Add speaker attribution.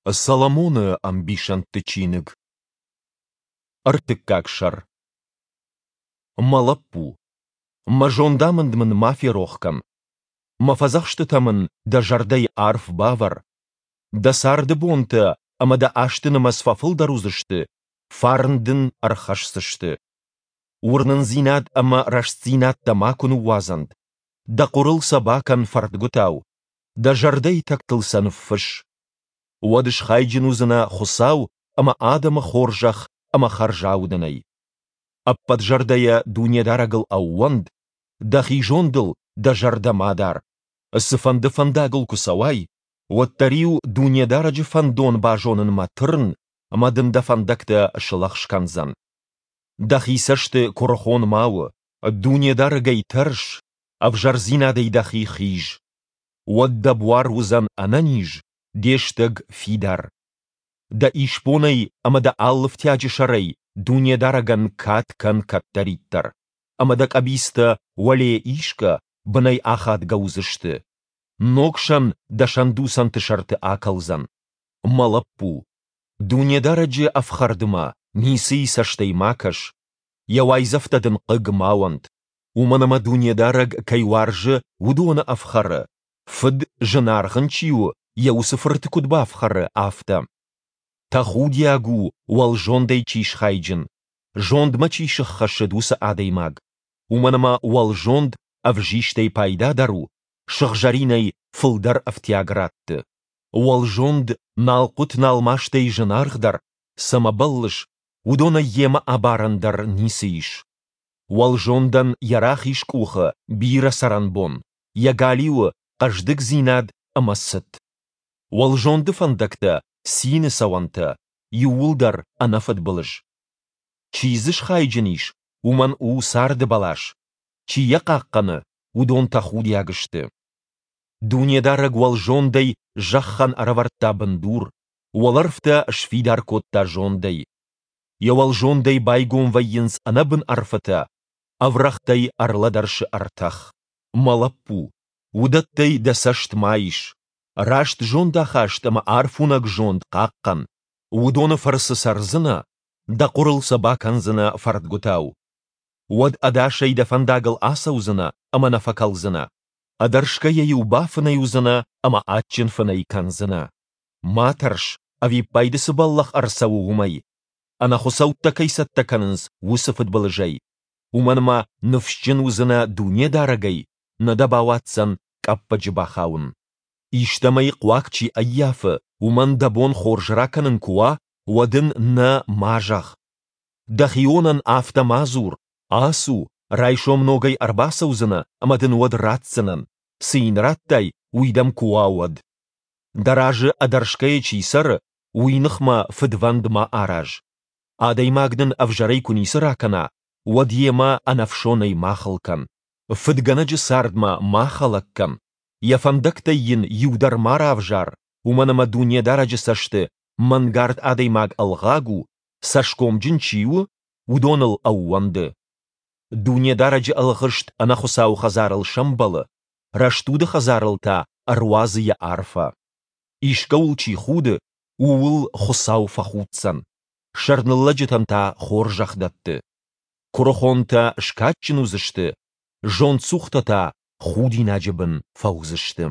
Speaker 1: Соломоны ӕмбисӕндты чиныг. Ӕртыккаг сӕр. Мӕ лӕппу, мӕ зондамынд мын ма ферох кӕн. Мӕ фӕдзӕхстытӕ мын дӕ зӕрдӕйы арф бавӕр. Дӕ царды бонтӕ ӕмӕ дӕ азты нымӕц фӕфылдӕр уыдзысты, фарн дын ӕрхӕсдзысты. Уырнындзинад ӕмӕ рӕстдзинад дӕ макуы ныууадзӕнт. Дӕ хъуырыл сӕ бакӕн фӕрдгуытау, дӕ зӕрдӕйы тӕгтыл сӕ ныффысс. Уӕд схайджын уыдзынӕ Хуыцау ӕмӕ адӕмы хорзӕх ӕмӕ хӕрзаудӕнӕй. Ӕппӕт зӕрдӕйӕ Дунедарӕгыл ӕууӕнд, дӕхи зондыл дӕ зӕрдӕ ма дар. Цыфӕнды фӕндагыл куы цӕуай, уӕддӕр-иу Дунедарӕджы фӕндон базонынмӕ тырн, ӕмӕ дын дӕ фӕндӕгтӕ слӕгъз кӕндзӕн. Дӕхи цӕсты куырыхон ма у, Дунедарӕгӕй тӕрс, ӕвзӕрдзинадӕй дӕхи хиз. Уӕд дӕ буар уыдзӕн ӕнӕниз, де стӕг фидар. Дӕ исбонӕй ӕмӕ дӕ алы фтиаджы сӕрӕй Дунедарӕгӕн кад кӕн кӕддӕриддӕр, ӕмӕ дӕ къӕбицтӕ уӕле исгӕ, бынӕй ахадгӕ уыдзысты. Ног сӕн дӕ сӕндуцӕнты сӕрты акӕлдзӕн. Мӕ лӕппу, Дунедарӕджы ӕфхӕрдмӕ ницыйы цӕстӕй ма кӕс, йӕ уайдзӕфтӕ дын хъыг ма уӕнт, уымӕн ӕмӕ Дунедарӕг кӕй уарзы, уыдоны ӕфхӕры, фыд, зынаргъ ын чи у, йӕ уыцы фырты куыд бафхӕры, афтӕ. Тӕхудиаг у, уӕлзондӕй чи схайджын, зондмӕ чи сыххӕссыд, уыцы адӕймаг, уымӕн ӕмӕ уӕлзонд ӕвзистӕй пайдадӕр у, сыгъзӕринӕй фылдӕр ӕфтиаг ратты. Уӕлзонд налхъуыт-налмастӕй зынаргъдӕр, цӕмӕ бӕллыс, уыдонӕй йемӕ абарӕн дӕр ницы ис. Уӕлзондӕн йӕ рахиз къухы бирӕ цӕрӕнбон, йӕ галиуы хъӕздыгдзинад ӕмӕ цыт. Уӕлзонды фӕндӕгтӕ цины цӕуӕнтӕ, иууылдӕр ӕнӕфыдбылыз. Чи дзы схайджын ис, уымӕн у царды бӕлас, чи йӕ хъахъхъӕны, уыдон тӕхудиаг сты. Дунедарӕг уӕлзондӕй зӕххӕн ӕрӕвӕрдта бындур, уӕлӕрвтӕ сфидар кодта зондӕй. Йӕ уӕлзондӕй байгом вӕййынц ӕнӕбын ӕрфытӕ, ӕврӕгътӕй ӕрлӕдӕрсы ӕртӕх. Мӕ лӕппу, уыдӕттӕй дӕ цӕст ма ис. Раст зондахаст ӕмӕ арфуынӕг зонд хъахъхъӕн. Уыдоны фӕрцы цӕрдзынӕ, дӕ хъуырыл сӕ бакӕндзынӕ фӕрдгуытау. Уӕд ӕдасӕй дӕ фӕндагыл ацӕудзынӕ ӕмӕ нӕ фӕкӕлдзынӕ. Ӕдӕрсгӕйӕ-иу бафынӕй уыдзынӕ ӕмӕ адджын фынӕй кӕндзынӕ. Ма тӕрс, ӕвиппайды цы бӕллӕх ӕрцӕуы, уымӕй, ӕнӕхуыцӕуттӕ кӕй цӕттӕ кӕнынц, уыцы фыдбылызӕй. Уымӕн ӕмӕ ныфсджын уыдзынӕ Дунедарӕгӕй, нӕ дӕ бауадздзӕн къӕппӕджы бахауын. Истӕмӕй хъуаг чи ӕййафы, уымӕн дӕ бон хорз ракӕнын куы уа, уӕд ын нӕ ма зӕгъ. Дӕхионӕн афтӕ ма дзур, ацу, райсом ногӕй ӕрбацӕудзынӕ ӕмӕ дын уӕд ратдзынӕн, цы йын радтай, уый дӕм куы уа, уӕд. Дӕ разы ӕдӕрсгӕйӕ чи цӕры, уый ныхмӕ фыдвӕнд ма араз. Адӕймаг дын ӕвзӕрӕй куы ницы ракӕна, уӕд йемӕ ӕнӕфсонӕй ма хыл кӕн. Фыдгӕнӕджы цардмӕ ма хӕлӕг кӕн, йӕ фӕндӕгтӕй йын иу дӕр ма равзар, уымӕн ӕмӕ Дунедарӕджы цӕсты мӕнгард адӕймаг ӕлгъаг у, цӕсгомджын чи у, уыдоныл ӕууӕнды. Дунедарӕджы ӕлгъыст ӕнӕхуыцау хӕдзарыл сӕмбӕлы, рӕстуды хӕдзарыл та ӕруадзы йӕ арфӕ. Искӕуыл чи худы, ууыл Хуыцау фӕхуддзӕн, сӕрныллӕджытӕн та хорзӕх дӕтты. Куырыхонтӕ скадджын уыдзысты, зондцухтӕ та худинаджы бын фӕуыдзысты.